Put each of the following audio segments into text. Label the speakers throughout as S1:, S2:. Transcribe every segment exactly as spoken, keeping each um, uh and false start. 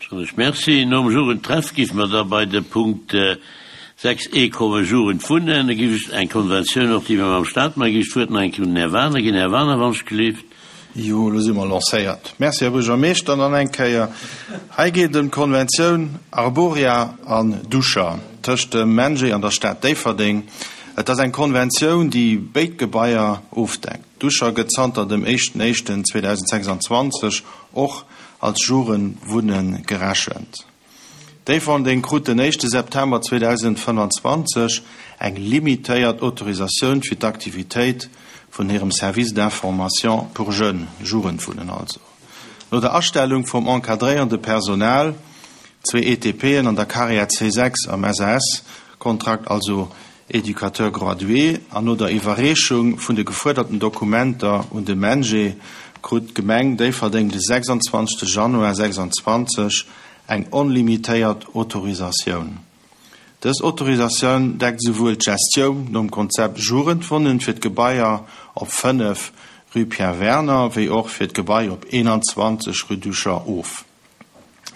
S1: Soen ech Merci. Nom Jugendtreff giff mer da bei de Punkt sechs E kommen, Jugendwunnen. Da giff ech eng Konventioun och, déi mer mam Stat maachen, giff ech d'Wuert nach eng Kéier un den Här Wagener ginn. Här Wagener, wann ech gelift.
S2: Jo, elo si mer lancéiert. Merci, Här Buergermeeschter, nach eng Kéier. Hei geet et ëm d'Konventioun Arboria an Duscher tëscht dem MENJE an der Stad Déifferdeng. Et ass eng Konventioun, déi béid Gebaier ofdeckt. Duscher gëtt zanter dem éischten éischten zweedausendsechsanzwanzeg och als Jugendwunne gerechent. Déifferdeng krut den éischte September zweedausendfënfanzwanzeg eng limitéiert Autorisatioun fir d'Aktivitéit vun hirem Service d'information pour jeunes, Jugendwunnen also. No der Astellung vum encadréierende Personal, zwee E T P'en an der Carrière C sechs am S A S-Kontrakt, also Éducateur gradué, an no der Iwwerreechung vun de gefuerderten Dokumenter un de MENJE, krut d'Gemeng Déifferdeng de sechsanzwanzegste Januar sechsanzwanzeg eng onlimitéiert Autorisatioun. Dës Autorisatioun deckt souwuel d'Gestioun nom Konzept Jugendwunnen fir d'Gebaier op fënnef Rue Pierre Werner wéi och fir d'Gebai op eenanzwanzeg Rue Duscher of.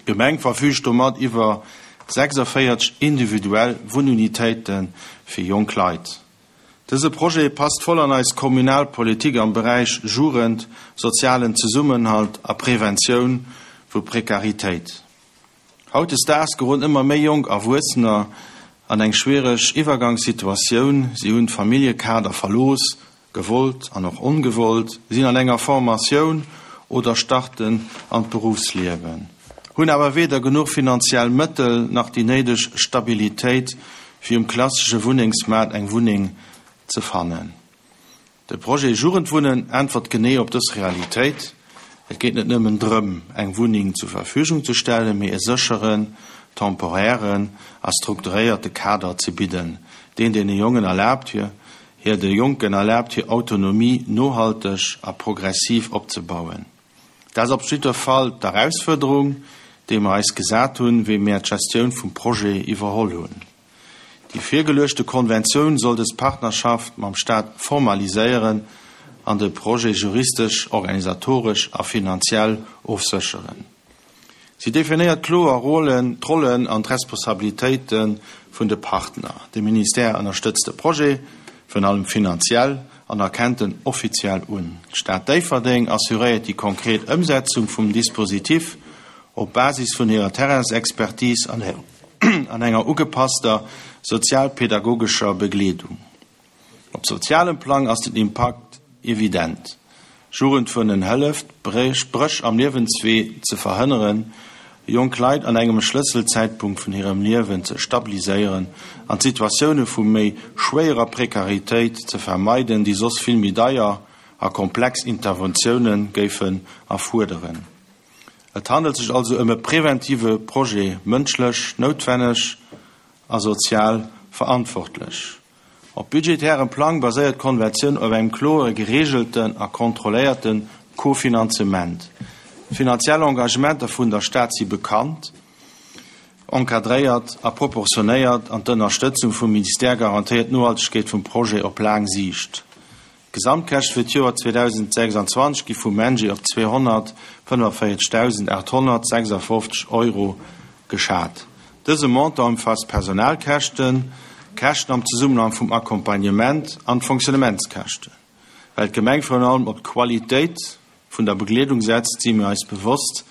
S2: D'Gemeng verfüügt domat iwwer sechsavéierzeg individuell Wunnunitéite fir jonk Leit. Dëse Projet passt voll an eis kommunal Politik am Beräich Jugend, sozialen Zesummenhalt a Preventioun vu Prekaritéit. Hautdesdaags geroden ëmmer méi jonk Erwuessener an eng schwiereg Iwwergangssituatioun. Si hunn d'Familljekader verlooss, gewollt an och ongewollt, sinn an enger Formatioun oder starten an d'Beruffsliewen, hunn awer weder genuch finanziell Mëttel nach déi néideg Stabilitéit, fir um klassesche Wunnengsmaart eng Wunneng ze fannen. De Projet Jugendwunnen äntwert genee op dës Realitéit. Et geet net nëmmen drëm, eng Wunneng zur Verfügung ze stellen, mee e sécheren, temporären a strukturéierte Kader ze bidden, deen deene Jongen erlaabt, hir hir de Jonken erlaabt, hir Autonomie nohalteg a progressiv opzebauen. Dat ass op jidder Fall d'Erausfuerderung, déi mer eis gesat hunn, wéi mir d'Gestioun vum Projet iwwerholl hunn. Déi virgeluechte Konventioun soll dës Partnerschaft mam Staat formaliséieren an de Projet juristesch, organisatoresch a finanziell ofsécheren. Si definéiert kloer Rollen, d'Rollen an d'Responsabilitéite vun de Partner. De Ministère ënnerstëtzt de Projet, virun allem finanziell, an erkennt en offiziell un. D'Stad Déifferdeng assuréiert déi konkret Ëmsetzung vum Dispositif op Basis vun hirer Terrainsexpertise an an enger ugepasster sozialpedagogescher Begleedung. Op sozialem Plang ass den Impakt evident. Jugendwunnen hëlleft, Bréch am Liewenswee ze verhënneren, jonk Leit an engem Schlësselzäitpunkt vun hirem Liewen ze stabiliséieren an Situatioune vu méi schwéierer Prekaritéit ze vermeiden, déi soss vill méi deier a komplex Interventioune géifen erfuerderen. Et handelt sech also ëm e preventive Projet, mënschlech noutwenneg a sozial verantwortlech. Op budgetärem Plang baséiert d'Konventioun op engem kloer gereegelten a kontrolléierte Kofinanzement. Finanziell Engagementer vun der Stad si bekannt, encadréiert a proportionéiert an d'Ënnerstëtzung vum Ministère garantéiert d'Nohaltegkeet vum Projet op laang Siicht. D'Gesamtkäschte fir d'Joer zweedausendsechsanzwanzeg gi vum MENJE op zweehonnertfënnefvéierzegdausendaathonnertsechsafofzeg Euro geschat. Dëse Montant ëmfaasst Personalkäschten, Käschten am Zesummenhang vum Accompagnement an d'Fonctionnementskäschten. Well d'Gemeng virun allem op d'Qualitéit vun der Begleedung setzt, si mir eis bewosst,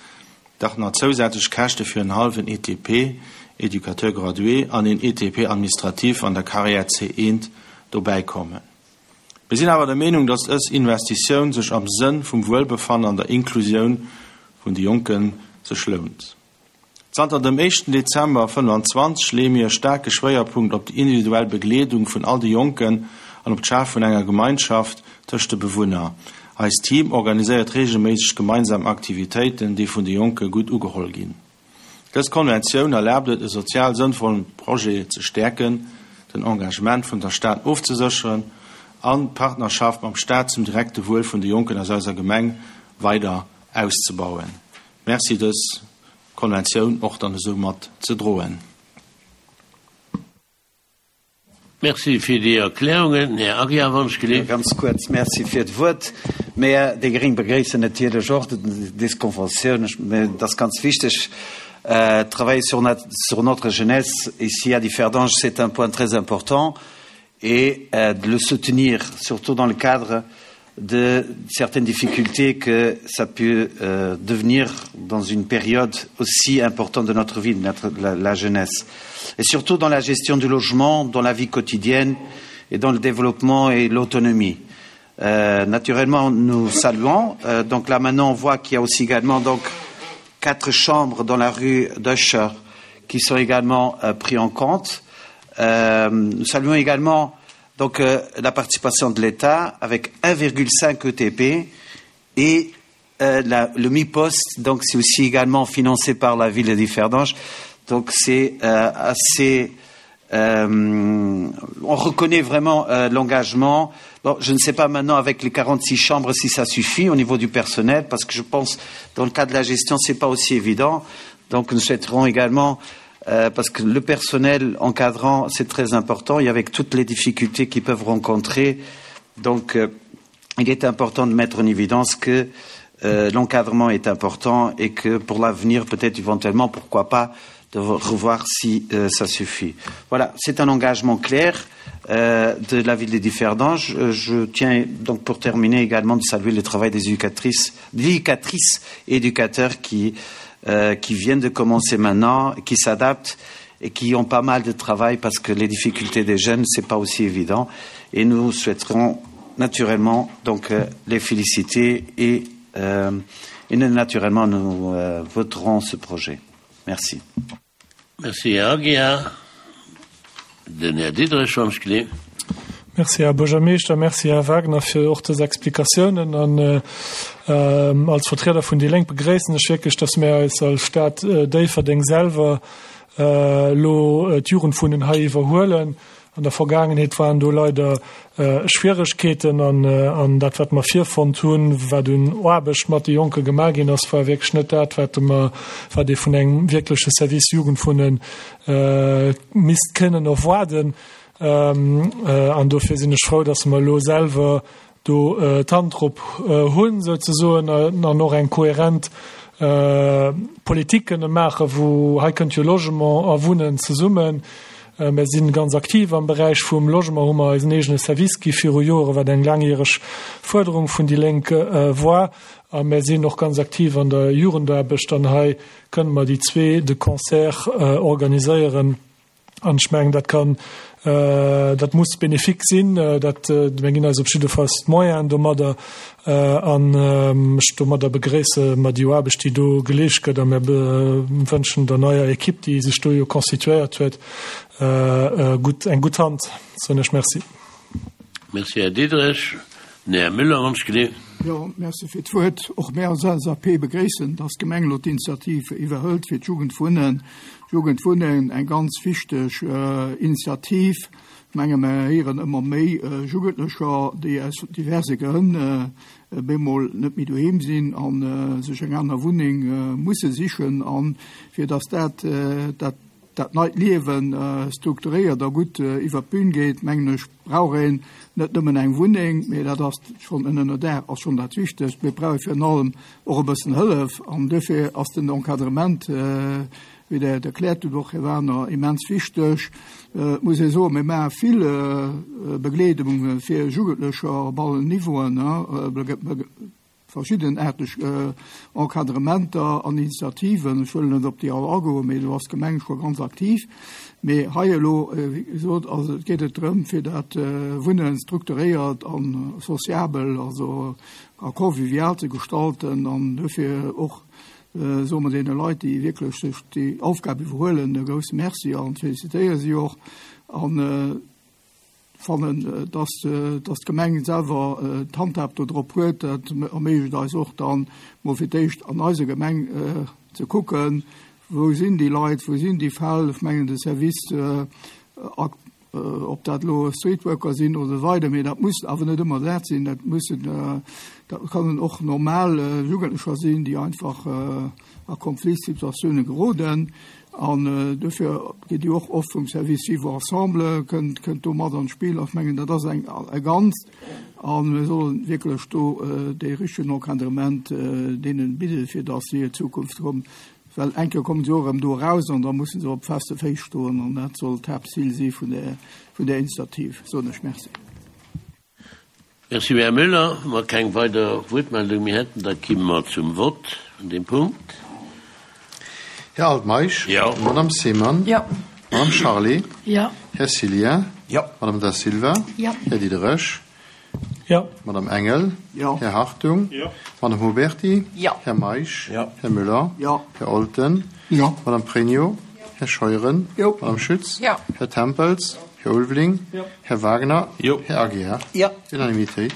S2: datt nach zousätzlech Käschte fir en hallwen E T P, Éducateur gradué, an een E T P administratif an der Carrière C eent dobäikommen. Mir sinn awer der Meenung, datt dës Investitioun sech am Sënn vum Wuelbefannen an der Inklusioun vun de Jonke sech lount. Zanter dem éischten Dezember fënnefanzwanzeg leeë mir e staarke Schwéierpunkt op déi individuell Begleedung vun all de Jonken an op d'Schafe vun enger Gemeinschaft tëscht de Bewunner. Eist Team organiséiert reegelméisseg gemeinsam Aktivitéiten, déi vun de Jonke gutt ugeholl ginn. Dës Konventioun erlaabt et, e sozial sënnvollen Projet ze stäerken, den Engagement vun der Stad ofzesécheren an d'Partnerschaft mam Staat zum direkte Wuel vun de Jonken aus eiser Gemeng weider auszebauen. Merci, dës Konventioun och dann esou mat ze droen.
S1: Merci fir déi Erklärungen. Här Aguiar, wann ech
S3: gelift. Ganz kuerz, Merci fir d'Wuert. Mir, déi Gréng, begréissen natierlech och dës Konventioun. Et ass ganz wichteg, Euh, travailler sur notre, sur notre jeunesse ici à Differdange, c'est un point très important et euh, de le soutenir, surtout dans le cadre de certaines difficultés que ça peut euh, devenir dans une période aussi importante de notre vie, de notre, la, la jeunesse. Et surtout dans la gestion du logement, dans la vie quotidienne et dans le développement et l'autonomie. Euh, naturellement, nous saluons. Euh, donc là, maintenant, on voit qu'il y a aussi également donc, quatre chambres dans la rue d'Usher qui sont également euh, prises en compte. Euh, nous saluons également donc, euh, la participation de l'État avec un virgule cinq E T P et, euh, la, le Mi-Poste, donc c'est aussi également financé par la ville de Differdange. Donc c'est, euh, assez... Euh, on reconnaît vraiment, euh, l'engagement. Bon, je ne sais pas maintenant avec les quarante-six chambres si ça suffit au niveau du personnel, parce que je pense dans le cas de la gestion, c'est pas aussi évident. Donc nous souhaiterons également, euh, parce que le personnel encadrant, c'est très important, et avec toutes les difficultés qu'ils peuvent rencontrer, donc, euh, il est important de mettre en évidence que, euh, l'encadrement est important et que pour l'avenir, peut-être éventuellement, pourquoi pas, de revoir si, euh, ça suffit. Voilà, c'est un engagement clair, euh, de la ville de Differdange. Euh, je tiens donc pour terminer également de saluer le travail des éducatrices, éducatrices et éducateurs qui, euh, qui viennent de commencer maintenant, qui s'adaptent et qui ont pas mal de travail parce que les difficultés des jeunes, c'est pas aussi évident. Et nous souhaiterons naturellement donc, euh, les féliciter et, euh, et naturellement nous, euh, voterons ce projet. Merci.
S1: Merci, Herr Aguiar. Den Herr Diederich vom Sklee.
S4: Merci, Herr Buergermeeschter, merci, Herr Wagner, für auch diese Explikationen. Und, äh, ähm, als Vertreter von Die Linke begrüßen ich wirklich, dass wir als, als Stadt, äh, Déifferdeng selber, äh, lo, äh, d'Jugendwunnen hei iwwerhuelen. An der Vergangenheit waren do leider, äh, Schwierigkeiten an, äh, an dat, wat mer virfonnt hunn, wat un Aarbecht mat de Jonke gemaach ginn ass, war wirklich net dat, wat mer, wat ee vun engem wirkleche Service Jugendwunnen, äh, misst kënnen erwarten. Ähm, äh, an dofir sinn ech froh, dass mer lo selber do, äh, d'Hand drop, äh, hunn, sozusagen, äh, an noch eng kohärent, äh, Politik kënne maachen, wo hei kënnt jo Logement a Wunnen zesummen. Äh, wir sind ganz aktiv am Bereich vum Logement, wo wir eisen eigenen Service gi viru Jahre, wat eng langjähreg Förderung vun Die Linke, äh, war. A wir sind noch ganz aktiv an der Jugendarbecht, an hei können wir die zwei de Concert, äh, organisieren. An ich mein, dat kann, äh, dat muss benefik sinn, äh, dat, äh, wir ginn eis op jidde Fall d'Moyen domadder, äh, an, ähm, ech domadder begréisse mer déi Aarbecht, déi do geleescht gëtt, a mir be-, wënschen der neuer Equipe, déi sech do jo konstituéiert huet, äh, äh, gut, eng gut Hand. So, ech merci.
S1: Merci, Herr Diederich. Herr Müller, ganz genehm.
S5: Ja, merci fir d'Wuert. Och mir als L S A P begréissen, dass d'Gemeng lo d'Initiative iwwerhëlt fir d'Jugendwunnen. Jugendwunnen eng ganz wichteg, äh, Initiativ. Ich meine, wir hören immer mehr, äh, Jugendliche, die aus diverse Gründen, äh, bemol net méi doheem sinn an, äh, sech eng aner Wunneng, äh, musse sichen, an fir dass dat, äh, dat, dat neit Liewen, äh, strukturiert a gut, äh, iwwer d'Bühn geht, mengen ech, brauch een net nëmmen eng Wunneng, mee dat ass schon ënner der ass schon dat Wichtigst. Wir brauchen fir allem och e bëssen Hëllef, an dofir ass den Encadrement, äh, wie der erklärt huet, och, Herr Werner, immens wichteg. Äh, muss ich so, wir machen viel, äh, Begleitungen für Jugendliche op allen Niveauen, ne? Äh, be-, be-, verschiedenartig, äh, Encadrementer an Initiativen. Ich will nicht op die alle agoen, mee du hast Gemeng schon ganz aktiv. Mee hei elo, äh, wie gesagt, also et geht et drëm, fir dat, äh, Wunnen strukturiert an soziabel, also a convivial ze gestalten, an dofir och, äh, so man den Leute, die wirklich sich die Aufgabe überholen, e große Merci an felicitéiere sie och an, äh, fannen, äh, dass, äh, dass d'Gemeng selber, äh, d'Handhab do drop huet, dat erméiglecht eis och dann mol fir d'éischt an eiser Gemeng, äh, ze kucken, wo sinn die Leit, wo sinn die Fäll, ich mengen de Service, äh, ak-, äh, ob dat lo Streetworker sinn oder weiter, mee dat muss awer net ëmmer dat sinn, dat müssen, äh, dat kann och normal, äh, Jugendlecher sinn, die einfach, äh, a Konfliktsituationen geroden. An, äh, dofir geht die och oft vum Service Vivre Ensemble, könnt, könnt do mat an Spiel, ich mengen, dat ass eng, e ganz, an wir sollen wirklich do, äh, de richtigen Encadrement, äh, denen bidden, fir dass sie in Zukunft kommen, Well eng Kéier kommen se och erëm do eraus an da mussen se op feste Féiss stoen an dat soll d'Haaptzil si vun där, vun där Initiativ, soen ech Merci.
S1: Merci, Här Müller. Wa mer keng weider Wuertmeldung méi hätten, da kimme mer zum Vott vun deem Punkt.
S2: Här Altmeisch.
S1: Jo.
S2: Madame Seemann.
S6: Jo.
S2: Madame Charlé.
S6: Jo.
S2: Här Cillien.
S3: Jo.
S2: Madame Da Silva.
S6: Jo.
S2: Här Diderich.
S4: Jo.
S2: Madame Engel.
S5: Jo.
S2: Här Hartung.
S4: Jo.
S2: Madame Huberty.
S6: Jo.
S2: Här Meisch.
S3: Jo.
S2: Här Müller.
S5: Jo.
S2: Här Olten.
S5: Jo.
S2: Madame Pregno. Här Scheuren.
S5: Jo.
S2: Madame Schütz.
S6: Jo.
S2: Här Tempels. Här Ulveling.
S4: Jo.
S2: Här Wagner.
S1: Jo.
S2: Här Aguiar.
S3: Jo.
S2: Unanimitéit.